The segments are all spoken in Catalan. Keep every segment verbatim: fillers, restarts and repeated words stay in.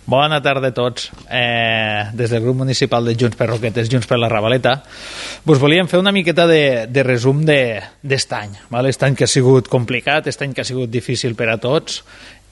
Bona tarda a tots. Eh, des del grup municipal de Junts per Roquetes, Junts per la Ravaleta, vos volíem fer una miqueta de, de resum d'est any. Val? Est any que ha sigut complicat, est any que ha sigut difícil per a tots,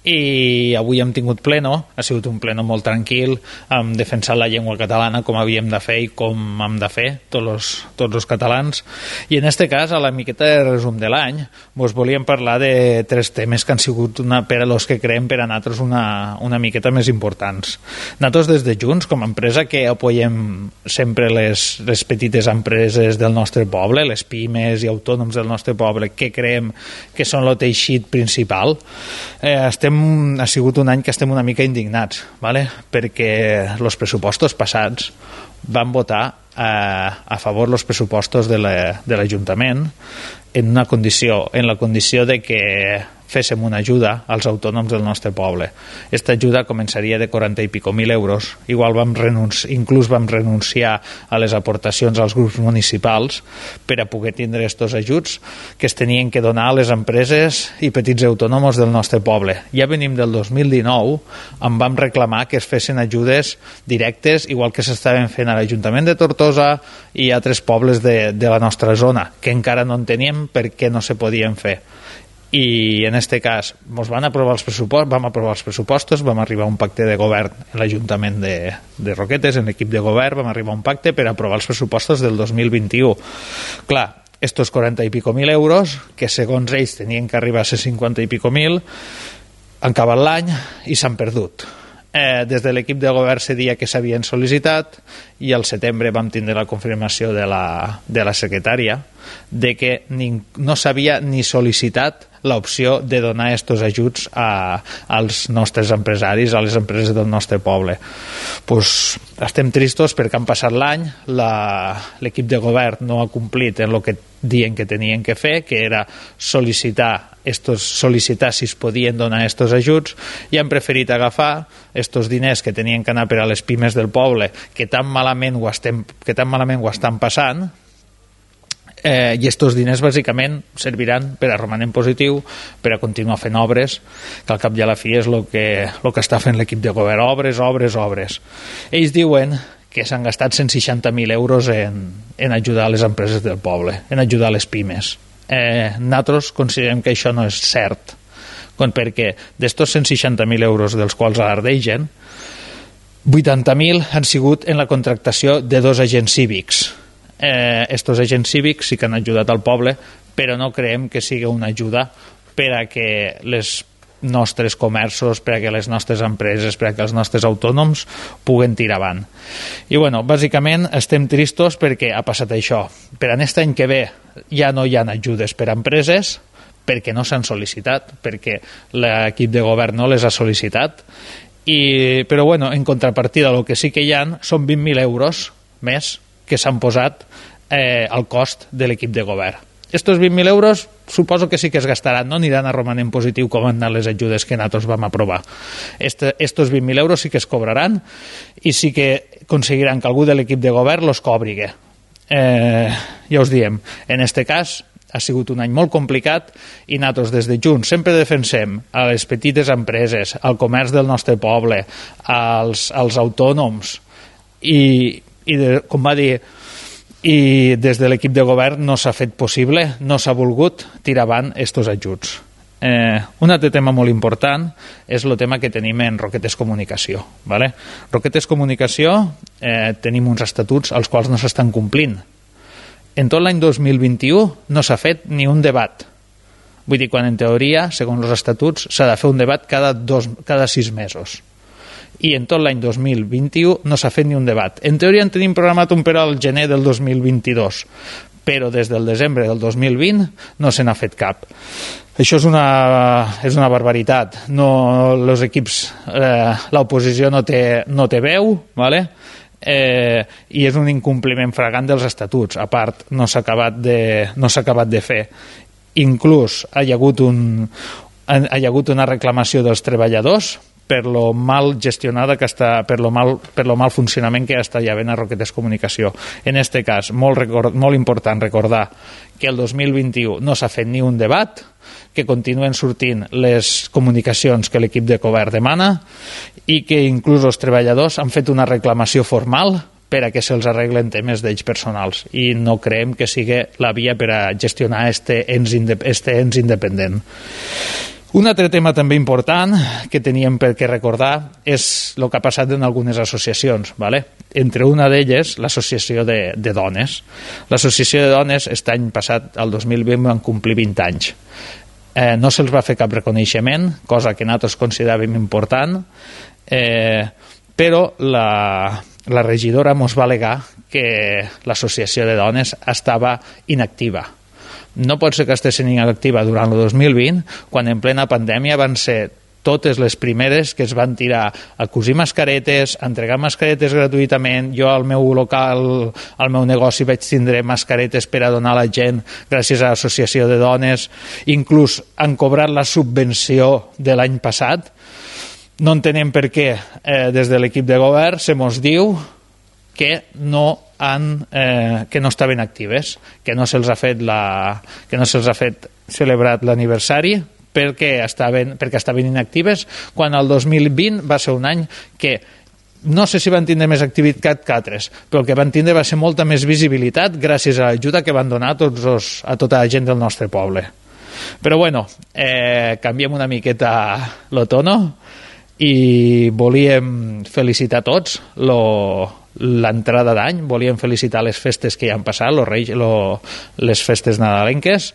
i avui hem tingut pleno, ha sigut un pleno molt tranquil, hem defensat la llengua catalana com havíem de fer i com hem de fer tots els, tots els catalans, i en este cas, a la miqueta de resum de l'any, vos volíem parlar de tres temes que han sigut una, per a los que creem per a nosaltres una, una miqueta més importants. Nosaltres des de Junts, com a empresa que apoyem sempre les, les petites empreses del nostre poble, les pimes i autònoms del nostre poble, que creiem que són el teixit principal, eh, estem ha sigut un any que estem una mica indignats, ¿vale? Perquè els pressupostos passats van votar eh, a favor els pressupostos de l'Ajuntament en una condició, en la condició de que féssim una ajuda als autònoms del nostre poble. Aquesta ajuda començaria de quaranta i pico mil euros. Igual vam renunciar, inclús vam renunciar a les aportacions als grups municipals per a poder tindre aquests ajuts que es tenien que donar a les empreses i petits autònoms del nostre poble. Ja venim del dos mil dinou, en vam reclamar que es fessin ajudes directes, igual que s'estaven fent a l'Ajuntament de Tortosa i a altres pobles de, de la nostra zona, que encara no en teníem perquè no se podien fer. I en aquest cas ens van aprovar els pressupostos, vam aprovar els pressupostos, vam arribar a un pacte de govern en l'Ajuntament de, de Roquetes, en l'equip de govern, vam arribar a un pacte per aprovar els pressupostos del dos mil vint-i-u. Clar, estos quaranta i pico mil euros, que segons ells tenien que arribar a ser cinquanta i pico mil, han acabat l'any i s'han perdut. Eh, des de l'equip de govern se dia que s'havien sol·licitat i al setembre vam tindre la confirmació de la, de la secretària de que ni, no s'havia ni sol·licitat l'opció de donar aquests ajuts a, als nostres empresaris, a les empreses del nostre poble. Pues, estem tristos perquè han passat l'any, l'equip de govern no ha complit en el que diuen que tenien que fer, que era sol·licitar estos, sol·licitar si es podien donar aquests ajuts, i han preferit agafar aquests diners que tenien que anar per a les pimes del poble, que tan malament ho, estem, que tan malament ho estan passant, eh, i aquests diners bàsicament serviran per a romanen positiu, per a continuar fent obres, que al cap i a la fi és el que, el que està fent l'equip de govern, obres, obres, obres. Ells diuen que s'han gastat cent seixanta mil euros en, en ajudar les empreses del poble, en ajudar les pimes. Eh, nosaltres considerem que això no és cert, perquè d'estos cent seixanta mil euros dels quals alardegen, vuitanta mil han sigut en la contractació de dos agents cívics. Eh, estos agents cívics sí que han ajudat al poble, però no creiem que sigui una ajuda per a que les nostres comerços, per a que les nostres empreses, per a que els nostres autònoms puguen tirar avant. I bueno, bàsicament estem tristos perquè ha passat això. Per a aquest any que ve ja no hi ha ajudes per a empreses, perquè no s'han sol·licitat, perquè l'equip de govern no les ha sol·licitat, i, però bueno, en contrapartida el que sí que hi ha són vint mil euros més que s'han posat eh, al cost de l'equip de govern. Estos vint mil euros suposo que sí que es gastaran, no aniran a romanent positiu com han anat les ajudes que nosaltres vam aprovar. Este, estos vint mil euros sí que es cobraran i sí que aconseguiran que algú de l'equip de govern los cobrigue. Eh, ja us diem, en este cas ha sigut un any molt complicat i nosaltres des de Junts sempre defensem a les petites empreses, al comerç del nostre poble, als, als autònoms i, i de, com va dir, i des de l'equip de govern no s'ha fet possible, no s'ha volgut tirar avant aquests ajuts. Eh, un altre tema molt important és el tema que tenim en Roquetes Comunicació. ¿Vale? Roquetes Comunicació eh, tenim uns estatuts als quals no s'estan complint. En tot l'any dos mil vint-i-u no s'ha fet ni un debat. Vull dir, quan en teoria, segons els estatuts, s'ha de fer un debat cada, dos, cada sis mesos. I en tot l'any dos mil vint-i-u no s'ha fet ni un debat. En teoria en tenim programat un per al gener del dos mil vint-i-dos, però des del desembre del dos mil vint no se n'ha fet cap. Això és una, és una barbaritat. No, els equips, eh, l'oposició no té, no té veu, ¿vale? Eh, i és un incompliment fragant dels estatuts. A part, no s'ha acabat de, no s'ha acabat de fer. Inclús hi ha hagut, un, hi ha hagut una reclamació dels treballadors per lo mal gestionada que està, per lo mal, per lo mal funcionament que està hi havent a Roquetes Comunicació. En este cas, molt, record, molt important recordar que el dos mil vint-i-u no s'ha fet ni un debat, que continuen sortint les comunicacions que l'equip de govern demana i que inclús els treballadors han fet una reclamació formal per a que se'ls arreglen temes d'ells personals, i no creiem que sigui la via per a gestionar este ens, este ens independent. Un altre tema també important que teníem per què recordar és el que ha passat en algunes associacions, ¿vale? Entre una d'elles l'associació de, de dones. L'associació de dones aquest any passat, el dos mil vint, van complir vint anys. Eh, no se'ls va fer cap reconeixement, cosa que nosaltres consideràvem important, eh, però la, la regidora ens va al·legar que l'associació de dones estava inactiva. No pot ser que estiguessin inactiva durant el dos mil vint, quan en plena pandèmia van ser totes les primeres que es van tirar a cosir mascaretes, a entregar mascaretes gratuïtament. Jo al meu local, al meu negoci, vaig tindre mascaretes per a donar a la gent gràcies a l'associació de dones. Inclús han cobrat la subvenció de l'any passat. No entenem per què eh, des de l'equip de govern se mos diu que no han, eh, que no estaven actives, que no se'ls ha fet la, que no se'ls ha fet celebrat l'aniversari perquè estaven, perquè estaven inactives, quan el dos mil vint va ser un any que no sé si van tindre més activitat que altres, però el que van tindre va ser molta més visibilitat gràcies a l'ajuda que van donar a, tots els, a tota la gent del nostre poble. Però bueno, eh, canviem una miqueta lo tono i volíem felicitar tots lo, l'entrada d'any, volíem felicitar les festes que ja han passat, los reis, lo, les festes nadalenques,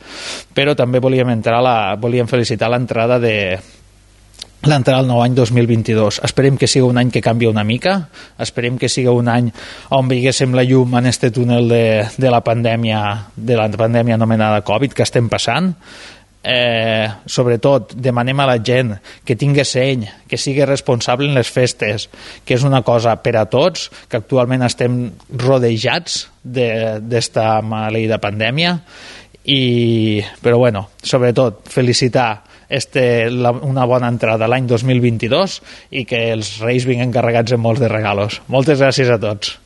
però també volíem, entrar la, volíem felicitar l'entrada de l'entrada al nou any dos mil vint-i-dos. Esperem que sigui un any que canvi una mica, esperem que sigui un any on veiéssim la llum en este túnel de, de la pandèmia, de la pandèmia anomenada Covid que estem passant. Eh, sobretot demanem a la gent que tingui seny, que sigui responsable en les festes, que és una cosa per a tots, que actualment estem rodejats d'esta maleïda pandèmia. I, però bueno, sobretot felicitar este, la, una bona entrada l'any dos mil vint-i-dos i que els reis vinguen carregats amb molts de regalos. Moltes gràcies a tots.